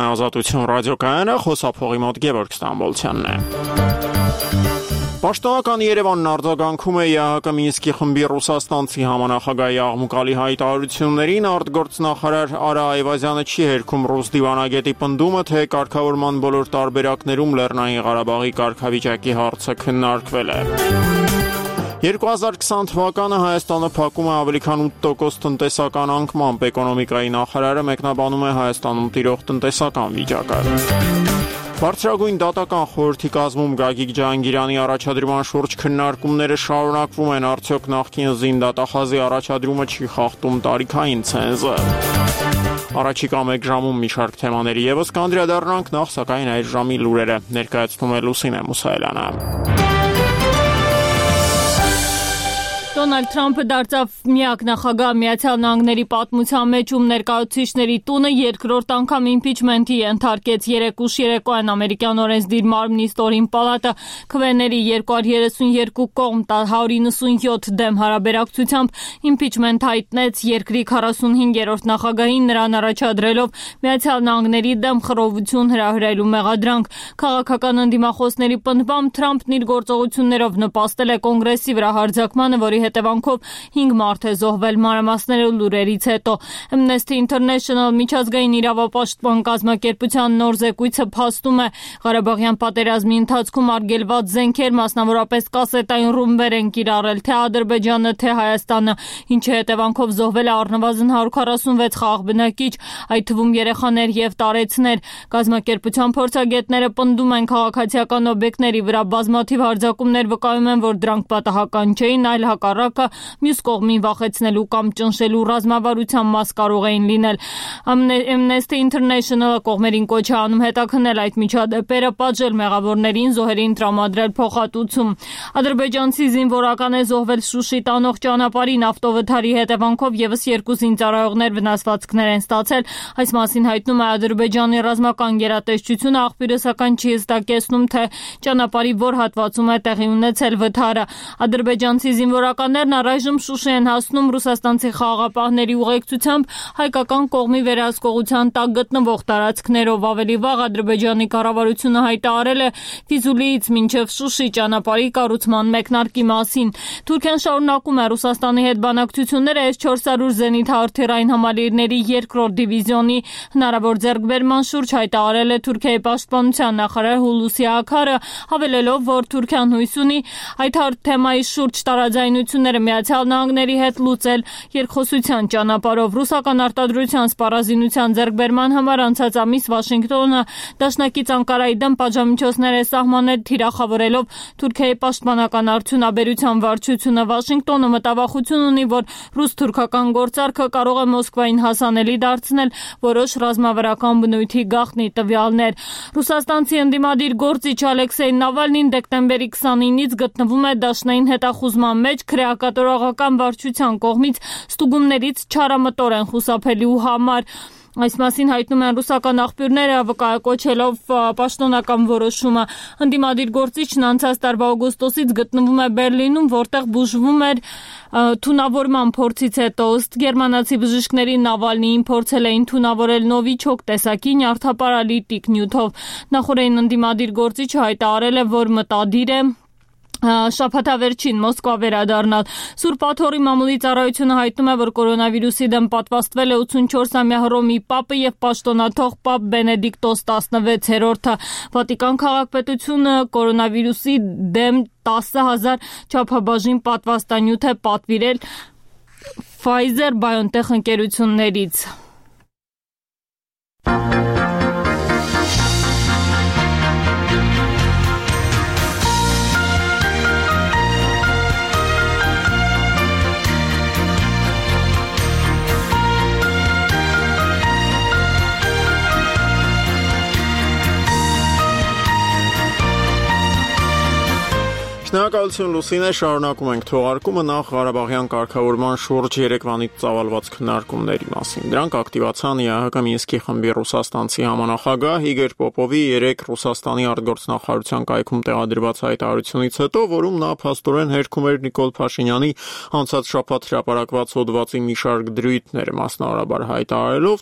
Ազատություն ռադիոկայանը, խոսափողի մոտ Գևորգ Ստամբոլցյանն է։ Պաշտոնական Երևանն արձագանքում է ԵԱՀԿ Մինսկի խմբի ռուսաստանցի համանախագահի աղմուկալի հայտարարություններին, արտգործնախարար Արա Այվազյանը չի հերքում ռուս դիվանագետի պնդումը, թե կարգավորման բոլոր տարբերակներում Լեռնային Ղարաբաղի կարգավիճակի հարցը քննարկվել է։ 2020 թվականը Հայաստանը փակում է ավելի քան 8% տնտեսական անկմամբ, էկոնոմիկայի նախարարը մեկնաբանում է Հայաստանում տիրող տնտեսական վիճակը։ Բարձրագույն դատական խորհրդի կազմում Գագիկ Ջահանգիրյանի առաջադրման շուրջ քննարկումները շարունակվում են, արդյոք նախկին զինդատախազի առաջադրումը չի խախտում տարիքային ցենզը։ Առաջիկա մեկ ժամում մի շարք թեմաների ևս կանդրադառնանք, նախ սակայն այս ժամի լուրերը ներկայացնում է Լուսինե Մուսայելյանը։ Դոնալդ Թրամփը դարձավ միակ նախագահ Միացյալ Նահանգների պատմության մեջ, ում ներկայացուցիչների տունը երկրորդ անգամ իմպիչմենթի ենթարկեց։ Երեկ ուշ երեկոյան ամերիկյան օրենսդիր մարմնի ստորին պալատը քվեների 232 կողմ 197 դեմ հարաբերակցությամբ իմպիչմենթ հայտնեց երկրի 45-րդ նախագահին, նրան առաջադրելով Միացյալ Նահանգների դեմ խռովություն հրահրելու մեղադրանք։ Քաղաքական ընդդիմախոսների պնդմամբ Թրամփն իր գործողություններով նպաստել է կոնգրեսի վրա հարձակմանը, որի հետևանքով 5 մարդ է զոհվել, մանրամասները լուրերից հետո։ Amnesty International միջազգային իրավապաշտպան կազմակերպության նոր զեկույցը փաստում է, Ղարաբաղյան պատերազմի ընթացքում արգելված զենքեր, մասնավորապես կասետային ռումբեր են կիրառել թե Ադրբեջանը, թե Հայաստանը, ինչի հետևանքով զոհվել է առնվազն 146 խաղաղ բնակիչ, այդ թվում երեխաներ եւ տարեցներ։ Կազմակերպության փորձագետները պնդում են, քաղաքացիական օբյեկտների վրա բազմաթիվ հարձակումներ վկայում են, որ դրանք պատահական չէին, այլ հակառակը մյուս կողմին վախեցնելու կամ ճնշելու ռազմավարության մաս կարող էին լինել։ Amnesty International-ը կողմերին կոչ է անում հետաքննել այդ միջադեպերը, պատժել մեղավորներին, զոհերին տրամադրել փոխհատուցում։ Ադրբեջանցի զինվորական է զոհվել Շուշի տանող ճանապարհին, ավտովթարի հետևանքով եւս 2 զինծառայողներ վնասվածքներ են ստացել։ Այս մասին հայտնում է Ադրբեջանի ռազմական գերատեսչությունը, աղբյուրը սակայն չի հստակեցնում, թե ճանապարհի որ հատվածում է տեղի ունեցել վթարը։ Ադրբեջանցի զինվորականներն առայժմ Շուշի են հասնում ռուսաստանցի խաղաղապահների ուղեկցությամբ հայկական կողմի վերահսկողության տակ գտնվող տարածքներով։ Ավելի վաղ Ադրբեջանի կառավարությունը հայտարարել է Ֆիզուլիից մինչև Շուշի ճանապարհի կառուցման մեկնարկի մասին։ Թուրքիան շարունակում է Ռուսաստանի հետ բանակցությունները S-400 զենիթ հրթիռային համալիրների 2-րդ դիվիզիոնի հնարավոր ձեռքբերման շուրջ հայտարարել է Թուրքիայի պաշտպանության նախարար Հուլուսի Աքարը, հավելելով, որ Թուրքիան հույս ունի այդ թեմայի շուրջ տարաձայնությունները Միացյալ Նահանգների հետ լուծել երկխոսության ճանապարհով։ Ռուսական արտադրության սպառազինության ձեռքբերման համար անցած ամիս Վաշինգտոնը դաշնակից Անկարայի դեմ պատժամիջոցներ է սահմանել, թիրախավորելով Թուրքիայի պաշտպանական արդյունաբերության վարչությունը։ Վաշինգտոնը մտավախություն ունի, որ ռուս-թուրքական գործարքը կարող է Մոսկվային հասանելի դարձնել որոշ ռազմավարական բնույթի գաղտնի տվյալներ։ Ռուսաստանցի ընդդիմադիր գործիչ Ալեքսեյ Նավալնին դեկտեմբերի 29-ից գտնվում է դաշնային հետախուզման մեջ, քրեակատորողական վարչության կողմից ստուգումներից չարամտոր են խուսափելու համար։ Այս մասին հայտնում են ռուսական աղբյուրները, վկայակոչելով պաշտոնական որոշումը։ Ընդդիմադիր գործիչն անցած տարվա օգոստոսից գտնվում է Բերլինում, որտեղ բուժվում էր թունավորման փորձից հետո։ Ըստ գերմանացի բժիշկների Նավալնիին փորձել էին թունավորել նովիչոկ տեսակի նյարդապարալիտիկ նյութով։ Նախորդին ընդդիմադիր գործիչը հայտարարել է, որ մտադիր է շաբաթավերջին Մոսկվա վերադառնալ։ Սուրբ Աթոռի մամուլի ծառայությունը հայտնում է, որ կորոնավիրուսի դեմ պատվաստվել է 84-ամյա Հռոմի պապը եւ պաշտոնաթող պապ Բենեդիկտոս 16-րդը։ Վատիկան քաղաքապետությունը կորոնավիրուսի դեմ 10,000 չափաբաժին պատվաստանյութ է պատվիրել Pfizer-BioNTech ընկերություններից։ Շնորհակալություն Լուսինե, շարունակում ենք թողարկումը, նախ Ղարաբաղյան կարգավորման շուրջ երեկվանից ծավալված քննարկումների մասին։ Դրանք ակտիվացան ԵԱՀԿ Մինսկի խմբի ռուսաստանցի համանախագահ Իգոր Պոպովի երեկ Ռուսաստանի արտգործնախարարության կայքում տեղադրված հայտարարությունից հետո, որում նա փաստորեն հերքում էր Նիկոլ Փաշինյանի անցած շաբաթ հրապարակված հոդվածի մի շարք դրույթներ, մասնավորաբար հայտարարելով,